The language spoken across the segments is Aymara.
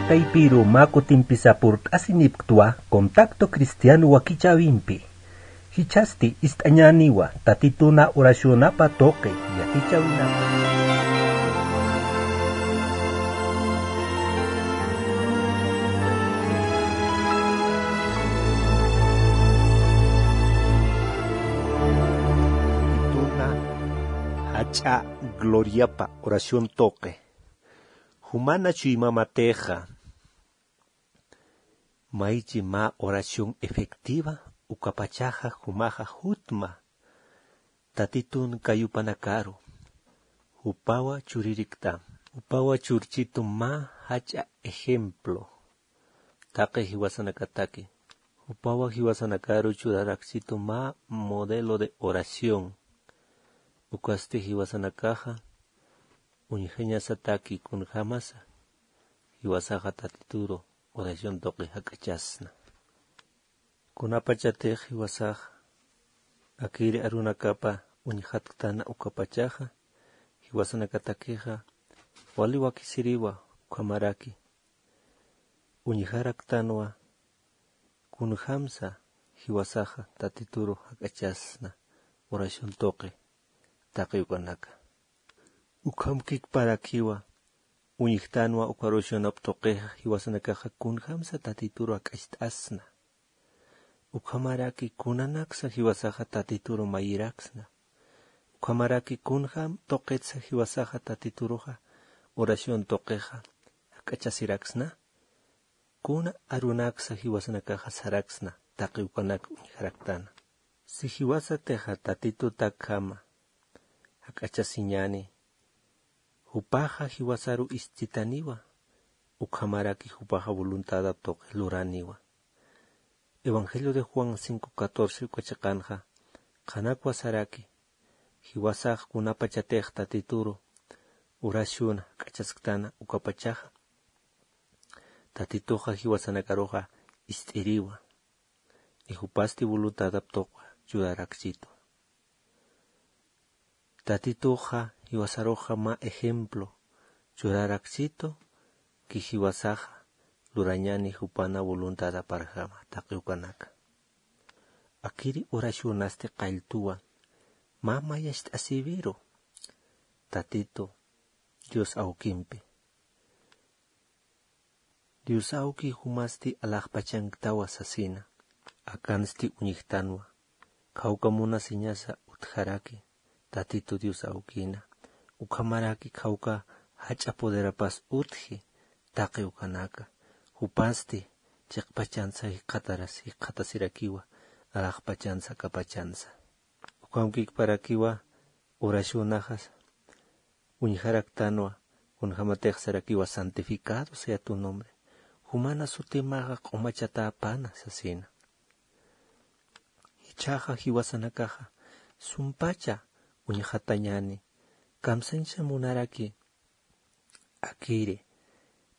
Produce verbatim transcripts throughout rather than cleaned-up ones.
Taypiru mä kutimpisa purt'asinipktwa Contacto Cristiano wakichäwimpi. Jichhasti ist'añäniwa Tatituna oracionapa tuqi yatichäwinapa. Tatituna jach'a gloriapa oración tuqi. Jumana chuymamatix, maychi mä oración efectiva, ukapachaxa jumaxa jutma Tatitun kayupanakaru, jupawa churirikta. Jupawa churchitu mä jach'a ejemplo taqi jiwasanakataki. Jupawa jiwasanakaru churarakchitu mä modelo de oración. Ukasti jiwasanakaxa uñjañasataki kunjämasa jiwasaxa Tatituru oración tuqi jak'achasna. Kunapachatix jiwasax akiri arunakapa uñjatktan ukapachaxa, jiwasanakatakixa wali wakisiriwa ukhamaraki uñjaraktanwa kunjämsa jiwasaxa Tatituru jak'achasna oración tuqi taqi ukanaka. Ukhamkikparakiwa uñjtanwa uka oracionap tuqixa jiwasanakaxa kunjämsa Tatituru jak'acht'asna. Ukhamaraki kunanaksa jiwasaxa Tatituru mayiraksna. Ukhamaraki kunjam tuqitsa jiwasaxa Tatituruxa oración tuqixa jak'achasiraksna. Kuna arunaksa jiwasanakaxa saraksna taqi ukanak uñjaraktana. Si jiwasatixa Tatitutakjama jak'achasiñäni, jupaxa jiwasaru ist'itaniwa, ukhamaraki jupaxa voluntadap tuqi luraniwa. Evangelio de Juan cinco catorce uka chiqanxa qhanakwa saraki, jiwasax kunapachatix Tatituru oración jak'achasktana ukapachaxa, Tatituxa jiwasanakaruxa ist'iriwa, y jupasti voluntadap tuqi churarakchitu. Tatituxa jiwasaruxa mä ejemplo churarakchitu, ki jiwasaxa lurañäni jupana voluntadaparjama taqi ukanaka. Akiri oracionasti qalltuwa mä mayacht'asïwiru Tatitu Dios awkimpi. Dios awki jumasti alaxpachanktawa sasina, akansti uñjtanwa, khawka munasiñasa utjaraki Tatitu Dios awkina, ukhamaraki khawka jach'a poderapas utji taqi ukanaka, jupasti chiqpachansa jikxataras jikxatasirakiwa, alaxpachansa akapachansa. Ukhamkikparakiwa oracionaxas uñjaraktanwa, kunjamatix sarakiwa santificado sea tu nombre. Jumana sutimaxa q'umachatäpana sasina. Jichhaxa jiwasanakaxa sumpacha uñjatañäni, kamsañsa munaraki akiri,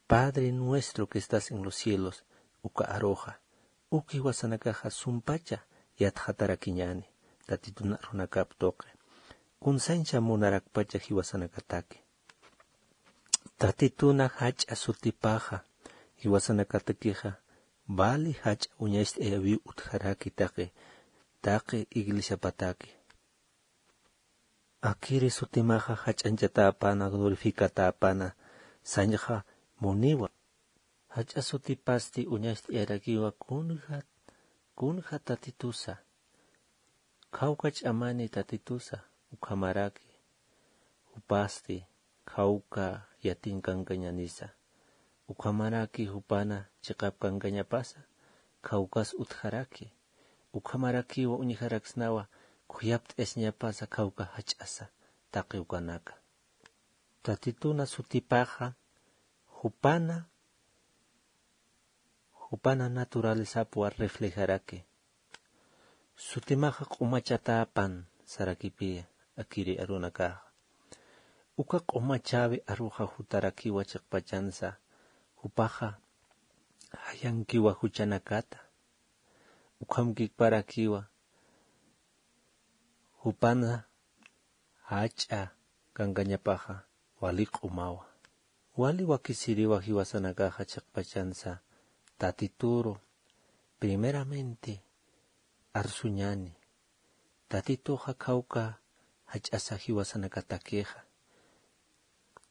Padre nuestro que estás en los cielos, uka aruxa, uk jiwasanakaxa sumpacha yatxatarakiñäni, Tatitun arunakap tuqi. Kunsañsa munarakpacha jiwasanakataki. Tatituna jach'a sutipaxa, jiwasanakatakixa, vali jach'a uñacht'ayäwiw utjaraki taqi, taqi iglesiapataki. Akiri sutimaxa jach'añchatäpana, glorificatäpana, sañxa muniwa. Jach'a sutipasti uñacht'ayarakiwa kunja, kunja Tatitusa. Khawka ch'amani Tatitusa, ukhamaraki jupasti khawka yatin kankañänisa. Ukhamaraki jupana chiqap kankañapasa, khawkas utjaraki. Ukhamarakiwa uñjaraksnawa khuyapt'ayasiñapasa khawka jach'asa taqi ukanaka. Tatituna sutipaxa jupana, jupana naturalezapwa reflejaraki. Sutimaxa q'umachatäpan sarakipiya akiri arunakaxa. Uka q'umachäwi aruxa jutarakiwa chiqpachansa, jupaxa jayankiwa juchanakata. Ukhamkikparakiwa jupana jach'a kankañapaxa wali q'umawa. Wali wakisiriwa jiwasanakaxa chiqpachansa tatituru primeramente arsuñani. Tatituxa khawka jach'asa jiwasanakatakixa.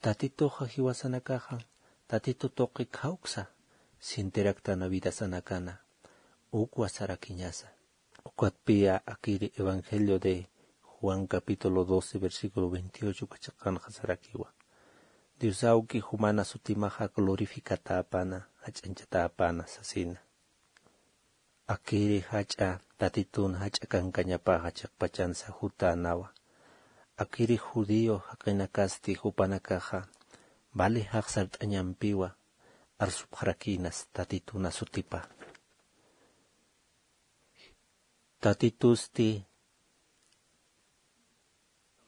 Tatituxa jiwasanakaxa tatitu tuqi khawksa sintiraktana vidasanakana ukwa sarakiñasa. Ukatpiya akiri evangelio de juan capítulo doce versículo veintiocho uka chiqanxa sarakiwa. Dios awki jumana sutimaxa glorificatäpana jach'añchatäpana sasina. Akiri jach'a tatitun jach'a kankañapaxa chiqpachansa jutänawa. Akiri judío jaqinakasti jupanakaxa vali jaqsart'añampiwa arsupxarakinas tatituna sutipa. Tatitusti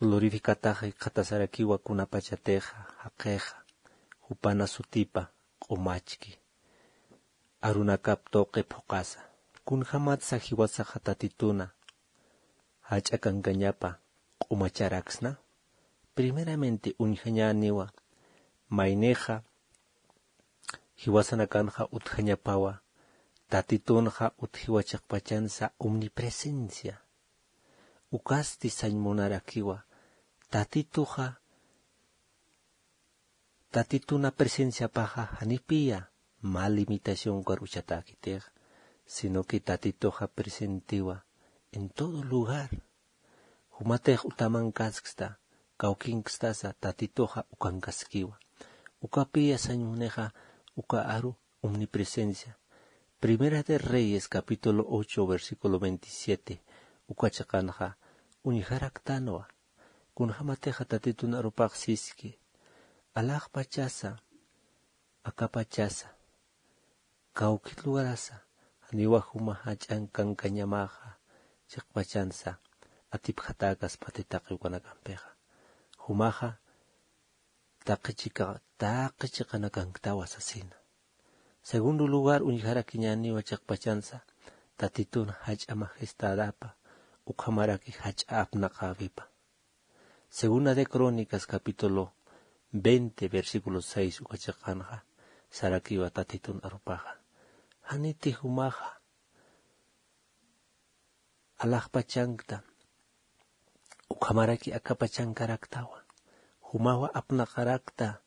glorificataxa jikxatasarakiwa kunapachatixa jaqixa jupana sutipa q'umachki arunakap tuqi phuqasa. Kunjämatsa jiwasaxa tatituna jach'a kankañapa q'umacharaksna? Primeramente uñjañäniwa maynixa jiwasanakanxa utjañapawa tatitunxa utjiwa chiqpachansa omnipresencia. Ukasti sañ munarakiwa tatituxa tatituna presenciapaxa janipiya mä limitacionkar uchatäkitix, sino que tatituxa presentiwa en todo lugar. Jumatix utamankasksta kawkinkstasa tatituxa ukankaskiwa. Ukapiya sañ munixa uka aru omnipresencia. Primera de Reyes capítulo ocho versículo veintisiete uka chiqanxa uñjaraktanwa. Kunjämatixa tatitun arupax siski alaxpachasa akapachasa kawkit lugarasa janiwa juma jach'a kankañamaxa chiqpachansa atipjatäkas pati taqi ukanakampixa. Jumaxa taqi chiqa taqi chiqanakanktawa sasina. Segundo lugar uñjarakiñäniwa chiqpachansa tatitun jach'a majestadapa ukhamaraki jach'a apnaqäwipa. Segunda de Crónicas capítulo veinte versículo seis uka chiqanxa sarakiwa tatitun arupaxa janiti jumaxa alaxpachankta ukhamaraki akapachankaraktawa. Jumawa apnaqarakta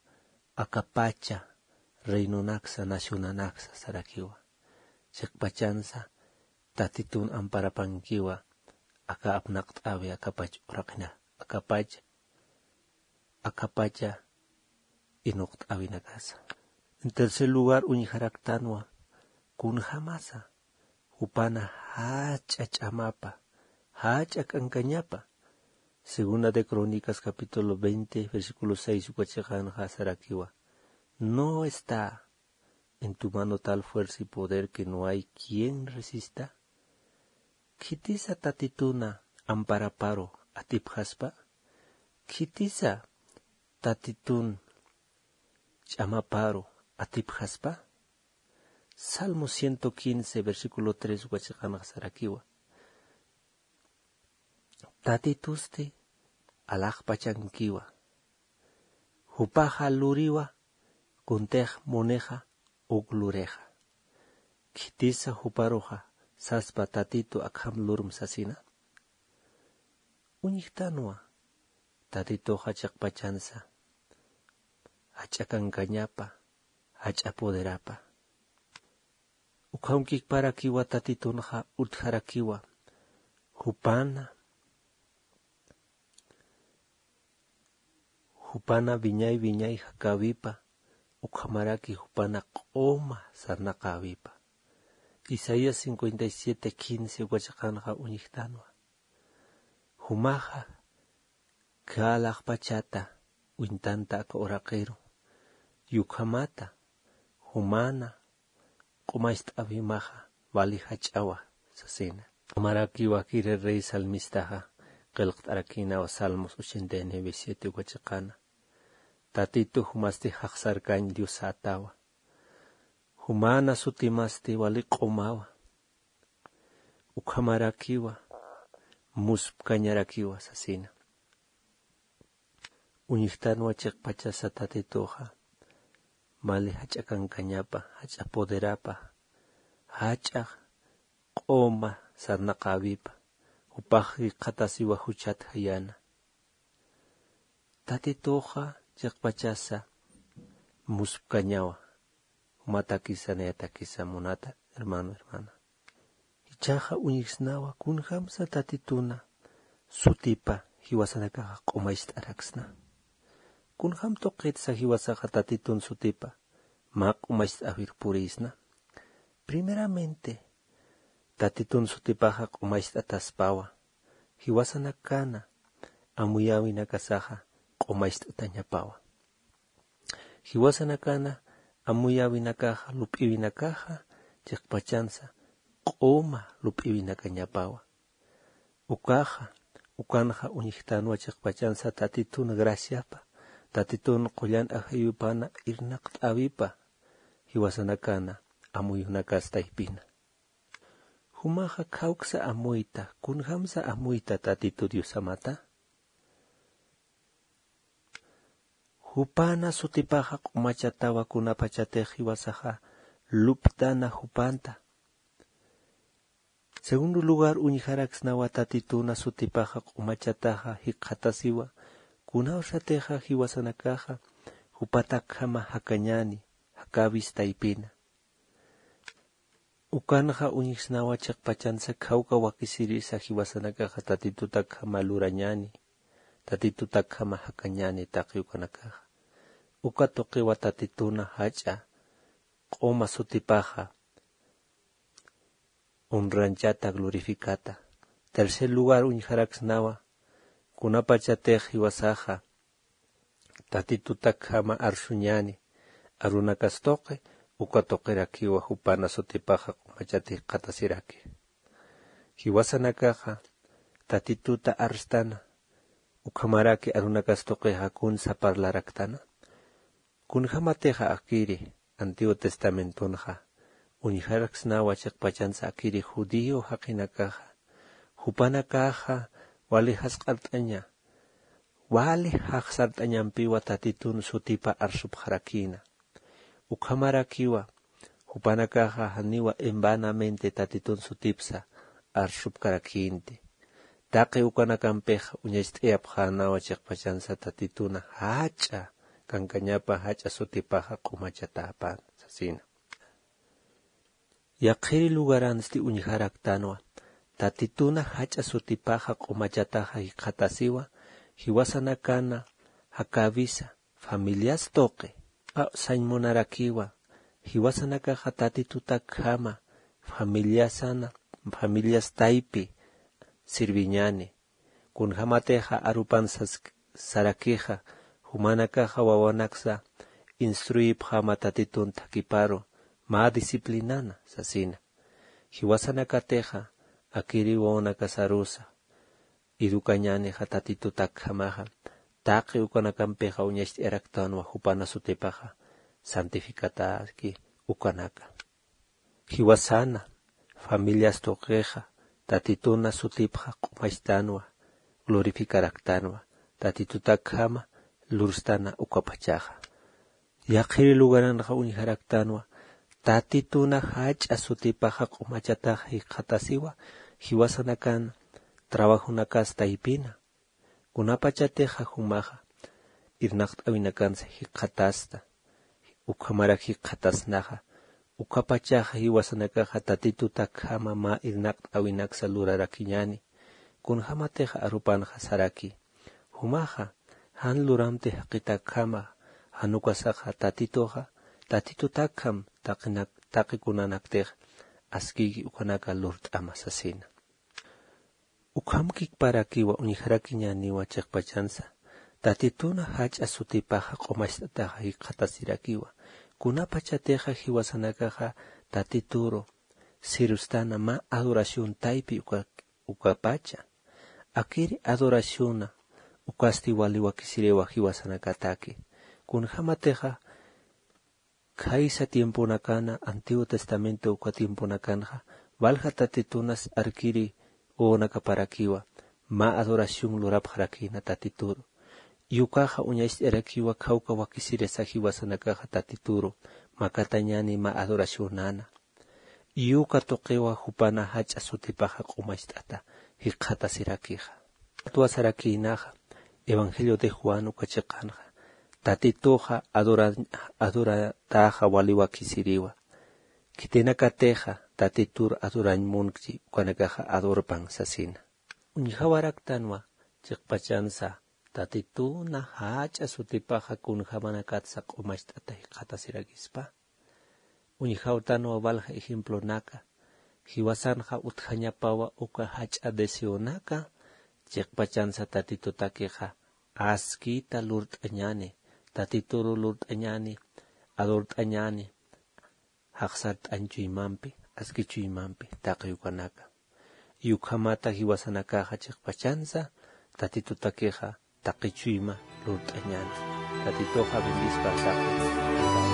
akapacha reinonaksa nacionanaksa sarakiwa. Chiqpachansa tatitun amparapankiwa aka apnaqt'äwi akapach uraqina akapacha akapacha inuqt'äwinakasa. En tercer lugar uñjaraktanwa kunjämasa jupana jach'a ch'amapa jach'a k'ankañapa. Segunda de Crónicas capítulo veinte versículo seis uka chiqanxa sarakiwa no está en tu mano tal fuerza y poder que no hay quien resista. Khitisa tatituna amparaparu atipjaspa? Khitisa tatitun ch'amaparu atipjaspa? Salmo ciento quince versículo tres uka chiqanxa sarakiwa tatitusti alaxpachankiwa. Jupaxa luriwa kuntix munixa uk lurixa. Khitisa juparuxa saspa tatitu akham lurm sasina? Uñjtanwa tatituxa chiqpachansa jach'a kankañapa jach'a poderapa. Ukhamkikparakiwa tatitunxa utjarakiwa jupana jupana wiñay wiñay jakäwipa ukhamaraki jupana q'uma sarnaqäwipa. Isaías cincuenta y siete quince uka chiqanxa uñjtanwa. Jumaxa khä alaxpachata uñtanta aka uraqiru y ukhamata jumana q'umacht'äwimaxa wali jach'awa sasina. Ukhamarakiwa kiri rey salmistaxa qillqt'arakïnawa Salmos ochenta y nueve siete uka chiqana. Tatitu jumasti jaqsarkañ diosätawa. Jumana sutimasti wali q'umawa. Ukhamarakiwa muspkañarakiwa sasina. Uñjtanwa chiqpachasa tatituxa mali jach'a kankañapa, jach'a poderapa, jach'a q'uma sarnaqäwipa, jupax jikxatasiwa juchat jayana. Tatituxa chiqpachasa muspkañawa, jumatakisa nayatakisa munata hermano, hermana. Jichhaxa uñjsnawa kunjamsa Tatituna sutipa jiwasanakaxa q'umacht'araksna. Kunjam tuqitsa jiwasaxa Tatitun sutipa mä q'umacht'äwir puriysna. Primeramente, Tatitun sutipaxa q'umacht'ataspawa, jiwasanakana amuyäwinakasaxa q'umacht'atañapawa. Jiwasanakana amuyäwinakaxa, lup'iwinakaxa, chiqpachansa q'uma lup'iwinakañapawa. Ukaxa, ukanxa uñjtanwa chiqpachansa Tatitun graciapa, Tatitun qullan ajayupana irnaqt'äwipa, jiwasanakana amuyunakas taypina. Jumaxa khawksa amuyta, kunjamsa amuyta Tatitu Diosamata. Jupana sutipaxa q'umachatawa kunapachatix jiwasaxa luptana jupanta. Segundo lugar, uñjaraksnawa Tatituna sutipaxa q'umachataxa jikxatasiwa, kunawsatixa jiwasanakaxa jupatakjama jakañäni, jakäwis taypina. Ukanxa uñjsnawa chiqpachansa khawka wakisirisa jiwasanakaxa Tatitutakjama lurañäni, Tatitutakjama jakañäni taqi ukanakaxa. Uka tuqiwa Tatituna jach'a q'uma sutipaxa honranchata, glorificata. Tercer lugar, uñjaraksnawa kunapachatix jiwasaxa Tatitutakjama arsuñäni arunakas tuqi, uka tuqirakiwa jupana sutipaxa q'umachat jikxatasiraki. Jiwasanakaxa Tatituta arstana, ukhamaraki arunakas tuqixa kunsa parlaraktana. Kunjämatixa akiri Antiguo Testamentonxa uñjaraksnawa chiqpachansa akiri judío jaqinakaxa, jupanakaxa wali jasq'art'aña, wali jaxsart'añampiwa Tatitun sutipa arsupxarakïna. Ukhamarakiwa jupanakaxa janiwa en vanamente Tatitun sutipsa arsupkarakïnti. Taqi ukanakampixa uñacht'ayapxänawa chiqpachansa Tatituna jach'a kankañapa jach'a sutipaxa q'umachatäpan sasina. Yaqhiri lugaransti uñjaraktanwa, Tatituna jach'a sutipaxa q'umachataxa jikxatasiwa, jiwasanakana jakäwisa, familias tuqi. A, sañ munarakiwa, jiwasanakaxa Tatitutakjama familiasana, familias taypi sirviñäni. Kunjämatixa arupan sas-, sarakixa, jumanakaxa wawanaksa instruyipxäma Tatitun thakhiparu, mä disciplinana sasina. Jiwasanakatixa akiri wawanakasarusa educañänixa Tatitutakjamaxa, taqi ukanakampixa uñacht'ayaraktanwa jupana sutipaxa santificataki ukanaka. Jiwasana familias tuqixa Tatituna sutipxa q'umachtanwa, glorificaraktanwa, Tatitutakjama lurstana ukapachaxa. Yaqhiri lugaranxa uñjaraktanwa, Tatituna jach'a sutipaxa q'umachataxa jikxatasiwa, jiwasanakan trabajonakas taypina. Kunapachatixa jumaxa irnaqt'äwinakansa jikxatasta, ukhamarak jikxatasnaxa, ukapachaxa jiwasanakaxa Tatitutakjama mä irnaqt'äwinaksa lurarakiñäni. Kunjämatixa arupanxa saraki, jumaxa jan luramti jaqitakjama, jan ukasaxa Tatituxa, Tatitutakjam taqinak-, taqi kunanaktix askiki ukanaka lurt'ama sasina. Ukhamkikparakiwa uñjarakiñäniwa chiqpachansa, Tatituna jach'a sutipaxa q'umacht'ataxa jikxatasirakiwa. Kunapachatixa jiwasanakaxa Tatituru sirvstana mä adoración taypi uka, ukapacha. Akiri adoraciona ukasti wali wakisiriwa jiwasanakataki. Kunjämatixa khaysa tiemponakana, Antiguo Testamento uka tiemponakanxa, walja Tatitunas arkiri wawanakaparakiwa, mä adoración lurapxarakïna Tatituru. Yukaxa uñacht'arakiwa khawka wakisirasa jiwasanakaxa tatituru makatañani mä adoracionana. Yuka tuqiwa jupana jach'a sutipaxa q'umacht'ata jikxatasirakixa. Atwasarakïnaxa evangelio de juan uka chiqanxa tatituxa adorataxa wali wakisiriwa. Khitinakatixa tatitur adorañ munkchi ukanakaxa adorpan sasina. Uñjawaraktanwa chiqpachansa tatituna jach'a sutipaxa kunjämanakatsa q'umacht'ata jikxatasirakispa. Uñjawtanwa walja ejemplonaka jiwasanxa utjañapawa uka jach'a deseonaka. Chiqpachansa tatitutakixa askita lurt'añani tatituru lurt'añani adort'añani jaqsart'añ chuymampi aski chuymampi taqi ukanaka. Yukhamata jiwasanakaxa chiqpachansa tatitutakixa taqi chuyma lurt'añani. Tatituxa bendispa taqi.